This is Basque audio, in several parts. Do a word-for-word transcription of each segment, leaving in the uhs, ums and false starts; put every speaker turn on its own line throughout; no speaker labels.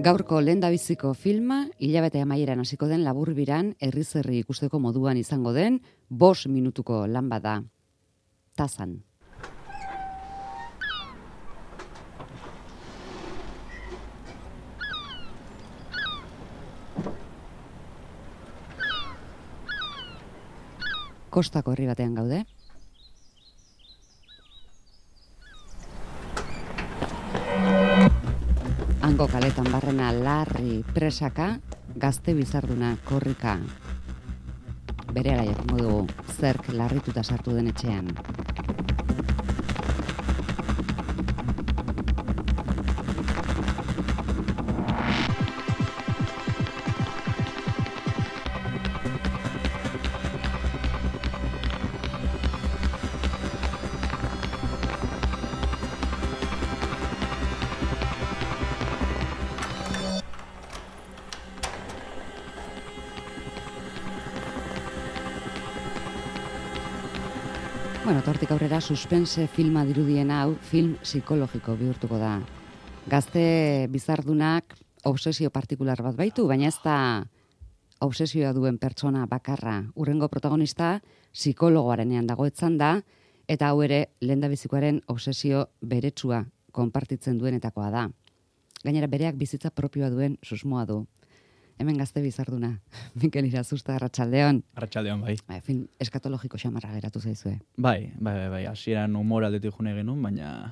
Gaurko lehendabiziko filma, hilabete amaieran hasiko den laburbiran herriz-herri ikusteko moduan izango den, bost minutuko lan bada. Tazan. Kostako herri batean gaude. Hango kaletan barrena larri presaka, gazte bizarduna korrika. Berehala jakingo dugu zerk larrituta sartu den etxean. Bueno, tortik aurrera suspense filma dirudien hau film psikologiko bihurtuko da. Gazte bizardunak obsesio partikular bat baitu, baina ez da obsesioa duen pertsona bakarra. Hurrengo protagonista psikologoarenean dagoetzan da, eta hau ere lehendabizikoaren obsesio beretsua konpartitzen duenetakoa da. Gainera bereak bizitza propioa duen susmoa du. Hemen gazte bizarduna. Mikel Irazusta, Arratsaldeon.
Arratsaldeon, bai.
Bai, film eskatologiko xamarra geratu zaizue.
Bai, bai, bai, bai. Hasieran humor aldetik june genuen, baina...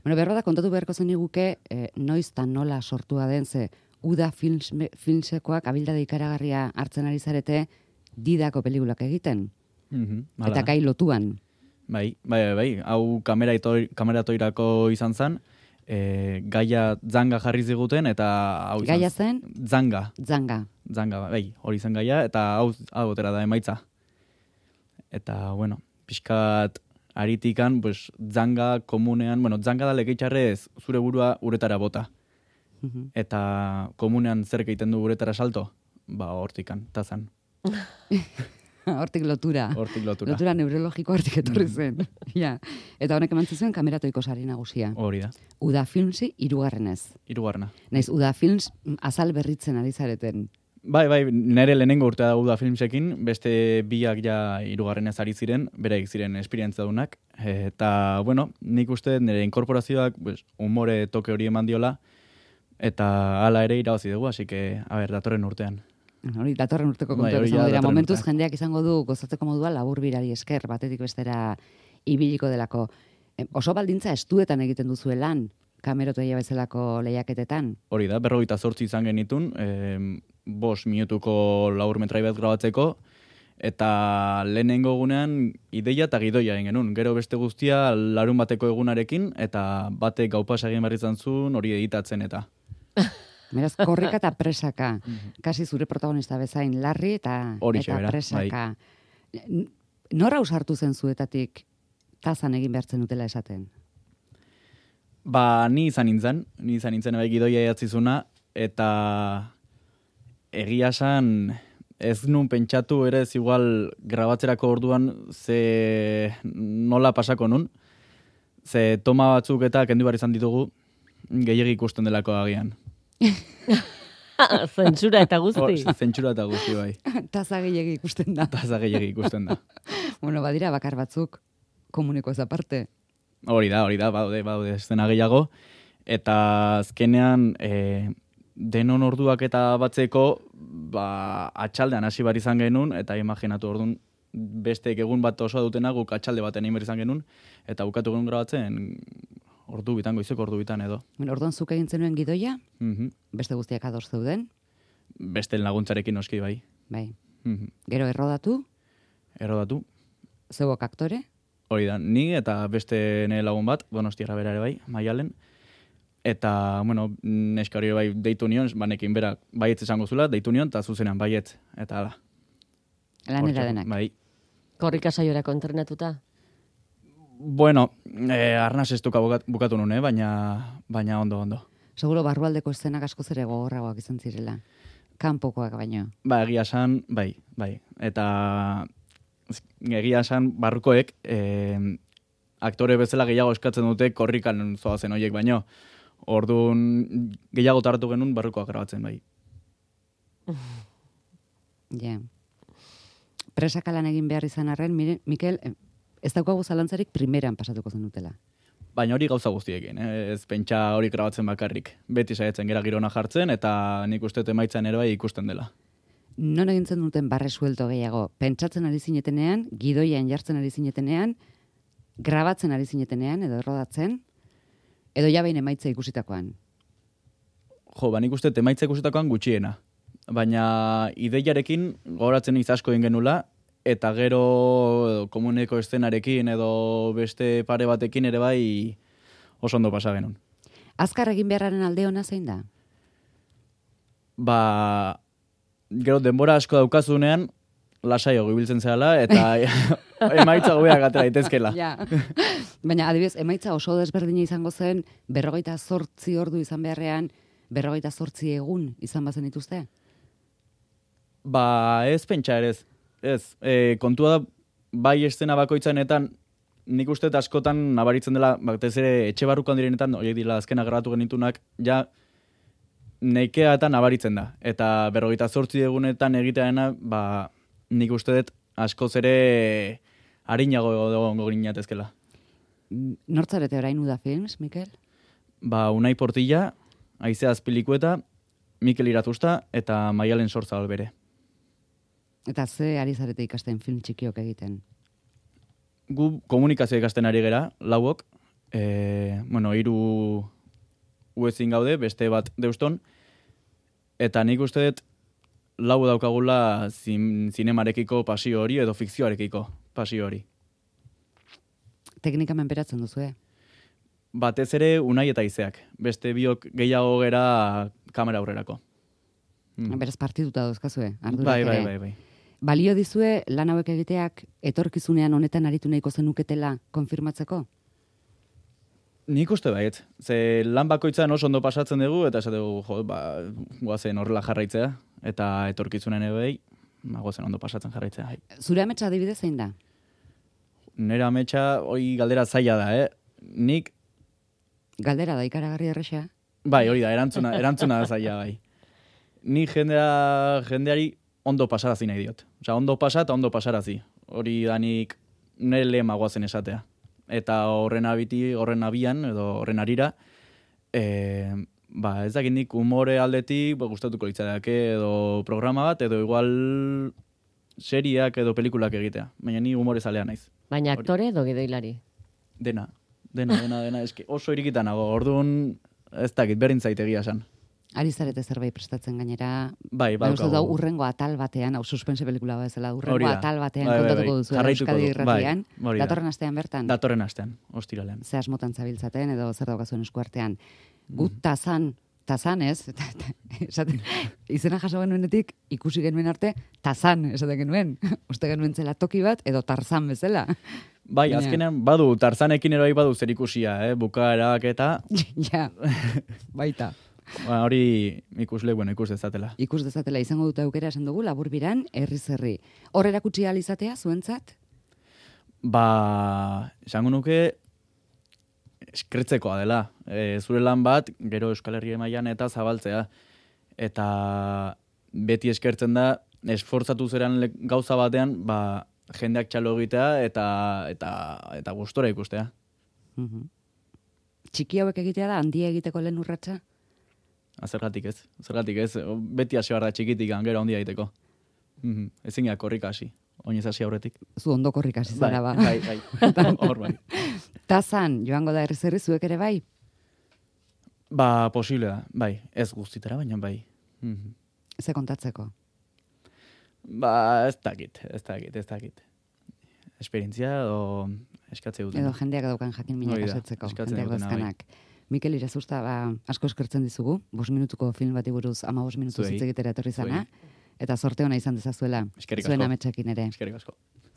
Bueno, berro da kontatu beharko zeniguke, eh, noiz eta nola sortua den, ze Uda films, filmsekoak abildade ikaragarria hartzen ari zarete didako pelikulak egiten.
Mm-hmm,
eta gai lotuan.
Bai, bai, bai, bai. Hau kamera, itoir, kamera toirako izan zen, E, gaia zanga jarri ziguten, eta hau izan...
Gaia zen?
Zanga.
Zanga.
Zanga, bai, hori zen gaia, eta hau, hau otera da emaitza. Eta, bueno, pixkat aritikan, pues, zanga komunean, bueno, zanga da lekeitxarrez zure burua uretara bota. Uh-huh. Eta komunean zer egiten du uretara salto? Ba, hortikan, tazan.
Hortik lotura.
Hortik lotura.
Lotura neurologiko hortik etorri zen. Ja. Eta honek eman zizuen kameratoiko sari nagusia.
Hori da.
Uda Filmsi hirugarrenez.
Hirugarrena.
Naiz Uda Films azal berritzen ari zareten.
Bai, bai, nire lehenengo urtea da Uda Filmsekin, beste biak ja hirugarrenez ari ziren, bereik ziren esperientzadunak. Eta, bueno, nik uste nire inkorporazioak pues, umore toke hori eman diola, eta hala ere irabazi dugu, así que, a ber, datorren urtean.
Hori, datorren urteko kontuak bai, izango dira. Momentuz jendeak izango du gozatzeko modua laburbirari esker, batetik bestera ibiliko delako. E, oso baldintza estuetan egiten duzue lan, kamerotoia bezalako lehiaketetan.
Hori da, berrogeita zortzi izan genitun, e, bost minutuko laburmetrai bat grabatzeko, eta lehenengo egunean ideia eta gidoia egin genuen. Gero beste guztia larun bateko egunarekin, eta batek gaupas egin behar izan zuen hori editatzen eta...
Beraz, korrika eta presaka. Kasi zure protagonista bezain larri eta,
Horixe,
eta
bera,
presaka. Bai. Nora usartu zen zuetatik tazan egin behartzen dutela esaten?
Ba, ni izan nintzen. Ni izan nintzen bai gidoia edatzizuna, eta egia esan ez nun pentsatu ere ez igual grabatzerako orduan ze nola pasako nun. Ze toma batzuk eta kendu behar izan ditugu gehiagik ikusten delako agian.
Zentsura eta guzti.
Oh, zentsura eta guzti, bai.
Taza gehiagi ikusten da.
Taza gehiagi ikusten da.
Bueno, badira bakar batzuk komuneko ez aparte.
Hori da, hori da, baude, baude, estena gehiago. Eta azkenean, e, denon orduak eta batzeko, ba, atxaldean hasi bar izan genuen, eta imaginatu orduan, besteek egun bat osoa dutena, guk atxalde baten egin behar izan genuen, eta bukatu genuen grabatzen, ordu bitan, goizeko ordu bitan edo.
Bueno, orduan zuk egin zenuen gidoia,
mm-hmm.
Beste guztiak ados zeuden.
Beste laguntzarekin noski bai.
Bai.
Mm-hmm.
Gero errodatu.
Errodatu.
Zeuok aktore.
Hori da, ni eta beste nire lagun bat, Donostiarra bera ere bai, Maialen. Eta, bueno, neska hori bai deitu nion, banekin bera baietz esango zula, deitu nion, eta zuzenean baietz, eta ala.
Lanera denak.
Bai.
Korrika saiorako entrenatuta?
Bueno, eh, arnaz ez duka bukatu nuen, eh? baina, baina ondo, ondo.
Seguro barrualdeko eszenak asko zere gogorragoak izan zirela. Kanpokoak baino.
Ba, egia esan, bai, bai. Eta egia esan barrukoek eh, aktore bezala gehiago eskatzen dute korrikan zoazen horiek baino. Orduan gehiago tartu genuen barrukoak grabatzen bai.
Ja. Presaka lan egin behar izan arren, mire, Mikel, ez daukagu zalantzarik primeran pasatuko zenutela.
Baina hori gauza guztiekin, eh? Ez pentsa hori grabatzen bakarrik. Beti saiatzen gera girona jartzen, eta nik uste emaitzan ere bai ikusten dela.
Non egintzen duten barre suelto gehiago? Pentsatzen ari zinetenean, gidoian jartzen ari zinetenean, grabatzen ari zinetenean, edo errodatzen, edo jabein emaitza ikusitakoan?
Jo, ba nik uste emaitza ikusitakoan gutxiena. Baina ideiarekin gogoratzen iz asko egin genula, eta gero komuneko eszenarekin edo beste pare batekin ere bai oso ondo pasa genuen.
Azkar egin beharraren alde ona zein da?
Ba, gero denbora asko daukazunean, lasaio gibiltzen zehala, eta emaitza gobeak atera daitezkela.
Ja. Baina adibidez, emaitza oso desberdina izango zen, berrogeita zortzi ordu izan beharrean, berrogeita zortzi egun izan bazen dituzte?
Ba, ez pentsa ere ez. Ez, e, kontua da, bai estena bakoitzanetan, nik uste askotan nabaritzen dela, batez ere etxe barrukan direnetan, horiek dira azkena grabatu genitunak, ja neikea eta nabaritzen da. Eta berrogeita zortzi egunetan egiteana, ba, nik uste dut askoz ere harinago egongo ginatezkela.
Nortzarete orain Uda Films, Mikel?
Ba, Unai Portilla, Aizea Azpilikueta, Mikel Iratusta eta Maialen Sortzabal bere.
Eta ze ari zarete ikasten film txikiok egiten?
Gu komunikazio ikasten ari gera, lauok, e, bueno, hiru uezin gaude, beste bat deuston, eta nik uste dut lau daukagula zin, zinemarekiko pasio hori edo fikzioarekiko pasio hori.
Teknika menperatzen duzu, eh?
Batez ere Unai eta Izeak, beste biok gehiago gera kamera aurrerako.
Mm. Beraz partituta dauzkazue, ardurak
bai,
ere.
bai, bai, bai.
Balio dizue lan hauek egiteak etorkizunean honetan aritu nahiko zenuketela konfirmatzeko?
Nik uste baiet. Ze lan bakoitzan oso ondo pasatzen dugu, eta esategu, jo, ba, guazen horrela jarraitzea, eta etorkizunen ere ba, guazen ondo pasatzen jarraitzea. Hai.
Zure ametsa adibidez zein da?
Nera ametsa, hoi galdera zaila da, eh? Nik...
Galdera da ikaragarri erresa?
Bai, hori da, erantzuna, erantzuna da zaila, bai. Ni jendea, jendeari ondo pasarazi nahi diot. Osea, ondo pasa eta ondo pasarazi. Hori da nik nire lehema guazen esatea. Eta horren abiti, horren abian, edo horren arira, e, ba, ez dakit nik umore aldetik ba, gustatuko litzateke edo programa bat, edo igual seriak edo pelikulak egitea. Baina ni umore zalea naiz.
Baina aktore edo gidoilari?
Dena, dena, dena, dena. Eski oso irikitan nago, orduan ez dakit, berdin zaitegia esan.
Ari zarete zerbait prestatzen gainera.
Bai,
bai,
balkago.
da urrengo atal batean, hau suspense pelikula bezala, urrengo atal batean
bai,
kontatuko
bai, bai.
duzu
Jarraituko
Euskadi
du.
Irratian.
Bai, hori da.
Datorren astean bertan.
Datorren astean, ostiralean.
Ze asmotan zabiltzaten edo zer daukazuen eskuartean. Gu tazan, tazan ez, esaten, izena jaso genuenetik ikusi genuen arte, tazan esaten genuen. Uste genuen zela toki bat edo tarzan bezala.
Bai,
Baina-
azkenean badu, tarzanekin ere bai badu zer ikusia, eh? Bukaerak eta...
Ja, baita.
Ba, hori ikusle, bueno, ikus dezatela.
Ikus dezatela izango dute aukera esan dugu, laburbiran, herriz herri. Hor erakutsi ahal izatea, zuentzat?
Ba, esango nuke eskretzekoa dela. E, zure lan bat, gero Euskal Herri mailan eta zabaltzea. Eta beti eskertzen da, esfortzatu zeran le- gauza batean, ba, jendeak txalo egitea eta, eta, eta gustora ikustea.
Mhm. Txiki hauek egitea da, handia egiteko lehen urratsa?
Zergatik ez, zergatik ez, beti hasi behar da txikitik, gero handia egiteko. Mhm. Ezin gara korrika hasi, oinez hasi aurretik.
Zu ondo korrik hasi zara ba.
Bai, bai, hor bai.
Tazan, joango da herriz herri zuek ere bai?
Ba, posible da, bai, ez guztitara, baina bai. Mhm.
Ze kontatzeko?
Ba, ez dakit, ez dakit, ez dakit. Esperientzia edo eskatze duten.
Edo jendeak daukan jakin minak
Hori da,
asetzeko,
eskatzen
jendeak
dutena, bai.
dazkanak. Mikel Irazusta, ba, asko eskertzen dizugu, bost minutuko film bati buruz, ama bost minutu
Zuei.
hitz egitera etorri zana, eta sorte ona izan dezazuela,
Eskerrik
zuen
asko.
ametsekin ere.
Eskerrik asko.